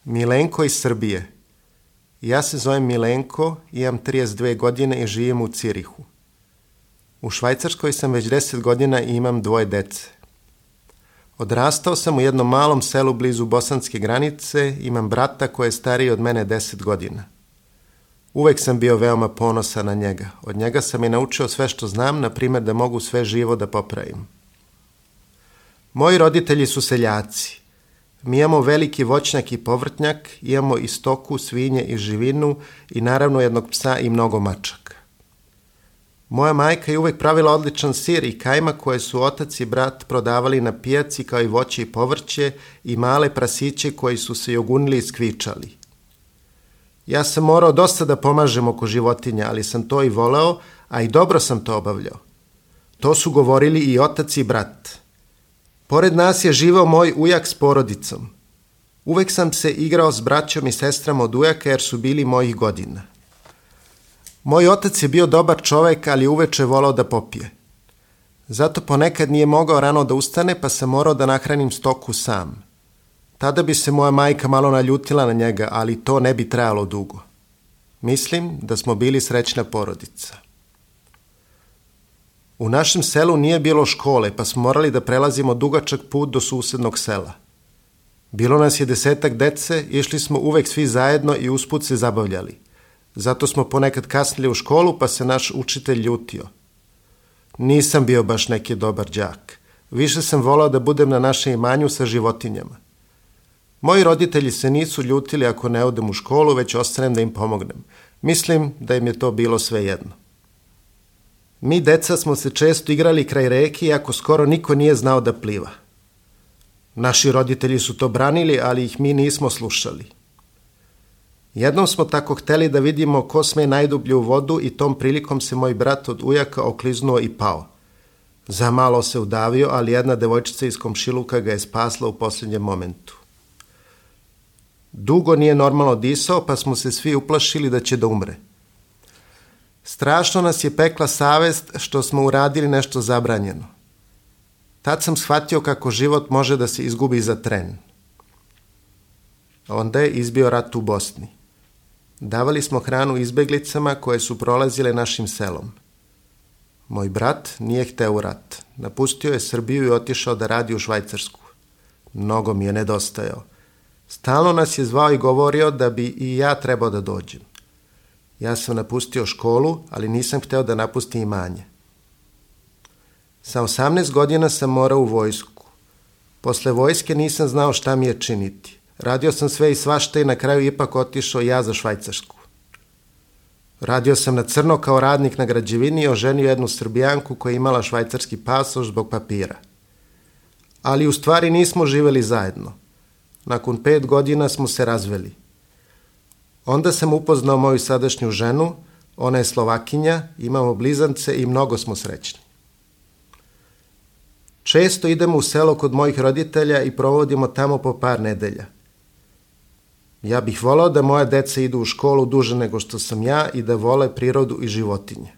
Milenko iz Srbije. Ja se zovem Milenko, imam 32 godine i živim u Cirihu. U Švajcarskoj sam već 10 godina i imam 2 dece. Odrastao sam u jednom malom selu blizu bosanske granice, imam brata koji je stariji od mene 10 godina. Uvek sam bio veoma ponosan na njega. Od njega sam i naučio sve što znam, na primjer da mogu sve živo da popravim. Moji roditelji su seljaci. Mi imamo veliki voćnjak i povrtnjak, imamo i stoku, svinje i živinu i naravno jednog psa i mnogo mačaka. Moja majka je uvek pravila odličan sir i kajmak koje su otac i brat prodavali na pijaci kao i voće i povrće i male prasiće koji su se jogunili i skvičali. Ja sam morao dosta da pomažem oko životinja, ali sam to i voleo, a i dobro sam to obavljao. To su govorili i otac i brat. Pored nas je živeo moj ujak s porodicom. Uvek sam se igrao s braćom i sestrama od ujaka jer su bili mojih godina. Moj otac je bio dobar čovek, ali uveče volao da popije. Zato ponekad nije mogao rano da ustane, pa sam morao da nahranim stoku sam. Tada bi se moja majka malo naljutila na njega, ali to ne bi trajalo dugo. Mislim da smo bili srećna porodica. U našem selu nije bilo škole, pa smo morali da prelazimo dugačak put do susednog sela. Bilo nas je 10 dece, išli smo uvek svi zajedno i usput se zabavljali. Zato smo ponekad kasnili u školu, pa se naš učitelj ljutio. Nisam bio baš neki dobar đak. Više sam volao da budem na našem imanju sa životinjama. Moji roditelji se nisu ljutili ako ne odem u školu, već ostanem da im pomognem. Mislim da im je to bilo svejedno. Mi, deca, smo se često igrali kraj reke, iako skoro niko nije znao da pliva. Naši roditelji su to branili, ali ih mi nismo slušali. Jednom smo tako hteli da vidimo ko sme najdublje u vodu i tom prilikom se moj brat od ujaka okliznuo i pao. Za malo se udavio, ali jedna devojčica iz komšiluka ga je spasla u posljednjem momentu. Dugo nije normalno disao, pa smo se svi uplašili da će da umre. Strašno nas je pekla savest što smo uradili nešto zabranjeno. Tad sam shvatio kako život može da se izgubi za tren. Onda je izbio rat u Bosni. Davali smo hranu izbeglicama koje su prolazile našim selom. Moj brat nije hteo u rat. Napustio je Srbiju i otišao da radi u Švajcarsku. Mnogo mi je nedostajao. Stalno nas je zvao i govorio da bi i ja trebao da dođem. Ja sam napustio školu, ali nisam hteo da napustim imanje. Sa 18 godina sam morao u vojsku. Posle vojske nisam znao šta mi je činiti. Radio sam sve i svašta i na kraju ipak otišao ja za Švajcarsku. Radio sam na crno kao radnik na građevini i oženio jednu Srbijanku koja je imala švajcarski pasoš zbog papira. Ali u stvari nismo živeli zajedno. Nakon 5 godina smo se razveli. Onda sam upoznao moju sadašnju ženu, ona je Slovakinja, imamo blizance i mnogo smo srećni. Često idemo u selo kod mojih roditelja i provodimo tamo po par nedelja. Ja bih volao da moja deca idu u školu duže nego što sam ja i da vole prirodu i životinje.